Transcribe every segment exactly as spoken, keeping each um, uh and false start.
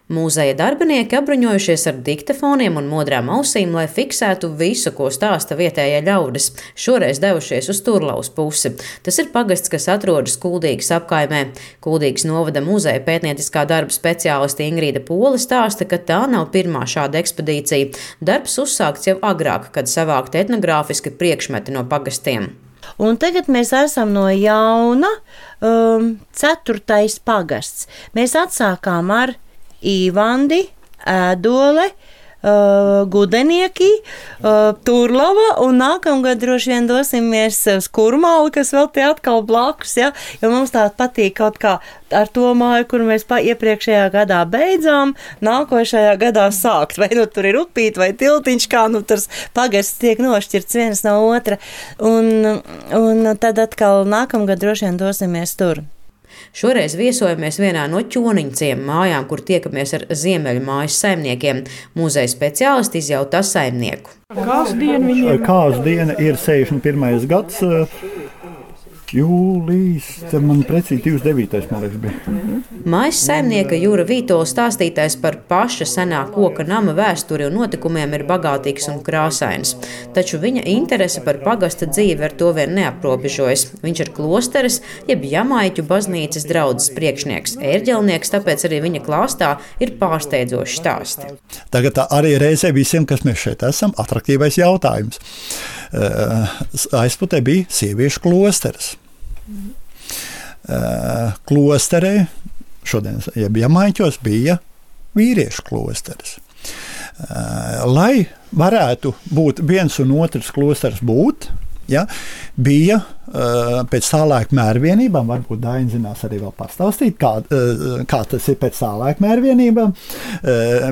Mūzeja darbinieki apbruņojušies ar diktafoniem un modrām ausīm, lai fiksētu visu, ko stāsta vietējie ļaudis. Šoreiz devušies uz Turlavas pusi. Tas ir pagasts, kas atrodas Kuldīgas apkaimē. Kuldīgas novada muzeja pētnieciskā darba speciāliste Ingrīda Pole stāsta, ka tā nav pirmā šāda ekspedīcija. Darbs uzsākts jau agrāk, kad savākti etnogrāfiski priekšmeti no pagastiem. Un tagad mēs esam no jauna um, ceturtais pagasts. Mēs atsākām ar Īvandi, Ēdole, uh, Gudenieki, uh, Turlava un nākamgad droši vien dosimies uz Kurmāli, kas vēl tie atkal blakus, ja? Jo mums tā patīk kaut kā ar to māju, kur mēs pa iepriekšējā gadā beidzām, nākošajā gadā sākt. Vai nu tur ir upīt vai tiltiņš, kā nu tur pagasts tiek nošķirts viens no otra. Un, un tad atkal nākamgad droši vien dosimies tur. Šoreiz viesojamies vienā no Ķoniņciem mājām, kur tiekamies ar Ziemeļu mājas saimniekiem. Muzeja speciālisti izjautā saimnieku. Kāds diena viņiem? Kāds diena ir sešdesmit pirmais gads, jūlijas, man precīzi divdesmit devītais, man liekas, bija. Mājas saimnieka Jūra Vītola stāstītais par paša senā koka nama vēsturi un notikumiem ir bagātīgs un krāsains. Taču viņa interese par pagasta dzīvi ar to vien neaprobežojas. Viņš ir klosteres, jeb Jamaiķu baznīcas draudzes priekšnieks, ērģelnieks, tāpēc arī viņa klāstā ir pārsteidzoši stāsti. Tagad arī reizē visiem, kas mēs šeit esam, atraktīvais jautājums. Aizputē bija sieviešu klosteres. Klosterē, šodien, jeb Jamaiķos, bija vīriešu klosteres. Lai varētu būt viens un otrs klosters būt, ja, bija pēc tā laika mērvienībām, varbūt Daina zinās arī vēl pastāstīt, kā, kā tas ir pēc tā laika mērvienībām,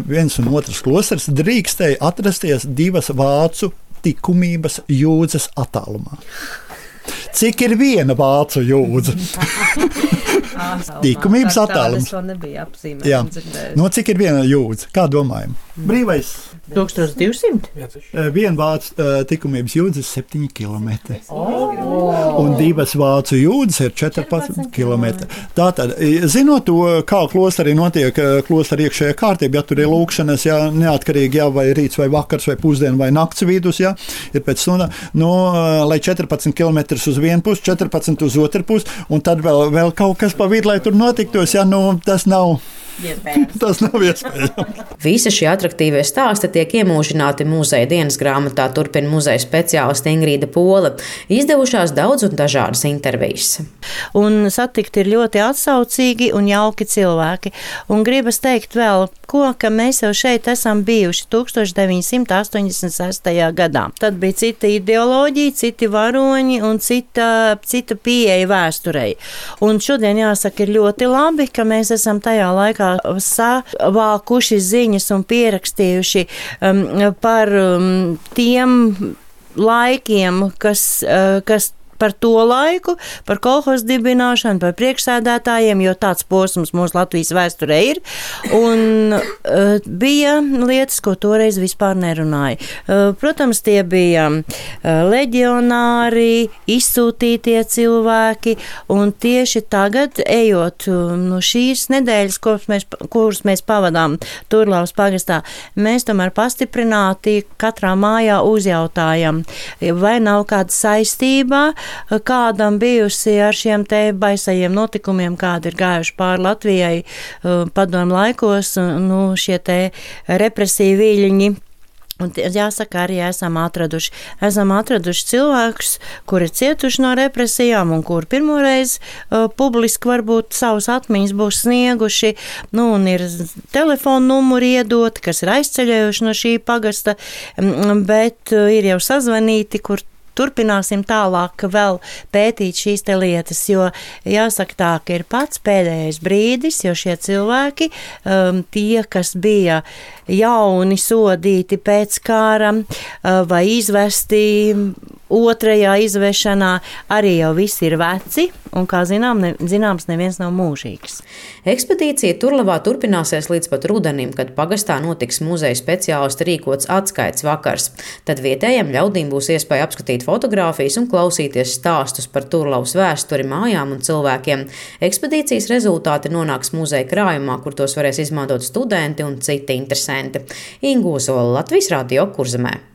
viens un otrs klosters drīkstēja atrasties divas vācu tikumības jūdzes attālumā. Cik ir viena vācu jūdze? Tikumības attālums. Jā. No cik ir viena jūdze? Kā domājam? Brīvais. tūkstoš divsimt? Viena vācu uh, tikumības jūdze ir septiņi kilometri. Oh. Un divas vācu jūdzes ir četrpadsmit kilometri. Tātad, zinot to, kā klosterī notiek klosteri iekšējā kārtība, ja tur ir lūkšanas, ja neatkarīgi, ja vai rīts vai vakars vai pusdien vai nakts vidus, ja, ir pēc stundā, no, lai četrpadsmit kilometrus uz vienu pusi, četrpadsmit uz otru pusi, un tad vēl, vēl kaut kas pa vidu, lai tur notiktos, ja, nu, tas nav... Iespējams. Tas nav iespējams. Visi šie atraktīvie stāsti tiek iemūžināti muzeja dienas grāmatā, turpina muzeja speciāliste Ingrīda Pole. Izdevušās daudz un dažādas intervijas. Un satikt ir ļoti atsaucīgi un jauki cilvēki. Un gribas teikt vēl, ko, ka mēs jau šeit esam bijuši tūkstoš deviņsimt astoņdesmit sestajā gadā. Tad bija cita ideoloģija, citi varoņi un cita, cita pieeja vēsturei. Un šodien jāsaka ir ļoti labi, ka mēs esam tajā laikā savākuši ziņas un pierakstījuši um, par um, tiem laikiem, kas, uh, kas par to laiku, par kolhozu dibināšanu, par priekšsēdētājiem, jo tāds posms mūsu Latvijas vēsturē ir. Un uh, bija lietas, ko toreiz vispār nerunāja. Uh, protams, tie bija uh, leģionāri, izsūtītie cilvēki, un tieši tagad, ejot uh, no šīs nedēļas, kuras mēs, kuras mēs pavadām Turlavas pagastā, mēs tomēr pastiprināti katrā mājā uzjautājam, vai nav kāda saistībā kādam bijusi ar šiem te baisajiem notikumiem, kādi ir gājuši pāri Latvijai padomu laikos, nu, šie te represīvi viļņi. Un jāsaka, arī esam atraduši. Esam atraduši cilvēkus, kuri cietuši no represijām un kuri pirmoreiz uh, publiski varbūt savus atmiņas būs snieguši. Nu, un ir telefonu numuri iedoti, kas ir aizceļējuši no šī pagasta, bet uh, ir jau sazvanīti, kur turpināsim tālāk vēl pētīt šīs te lietas, jo jāsaka tā, ka ir pats pēdējais brīdis, jo šie cilvēki, um, tie, kas bija jauni sodīti pēc kāra uh, vai izvesti otrajā izvešanā arī jau viss ir veci, un, kā zinām, ne, zināms, neviens nav mūžīgs. Ekspedīcija Turlavā turpināsies līdz pat rudenim, kad pagastā notiks muzeja speciālisti rīkots atskaites vakars. Tad vietējiem ļaudīm būs iespēja apskatīt fotogrāfijas un klausīties stāstus par Turlavas vēsturi, mājām un cilvēkiem. Ekspedīcijas rezultāti nonāks muzeja krājumā, kur tos varēs izmantot studenti un citi interesanti. Inga Ozola, Latvijas Radio, Kurzemē.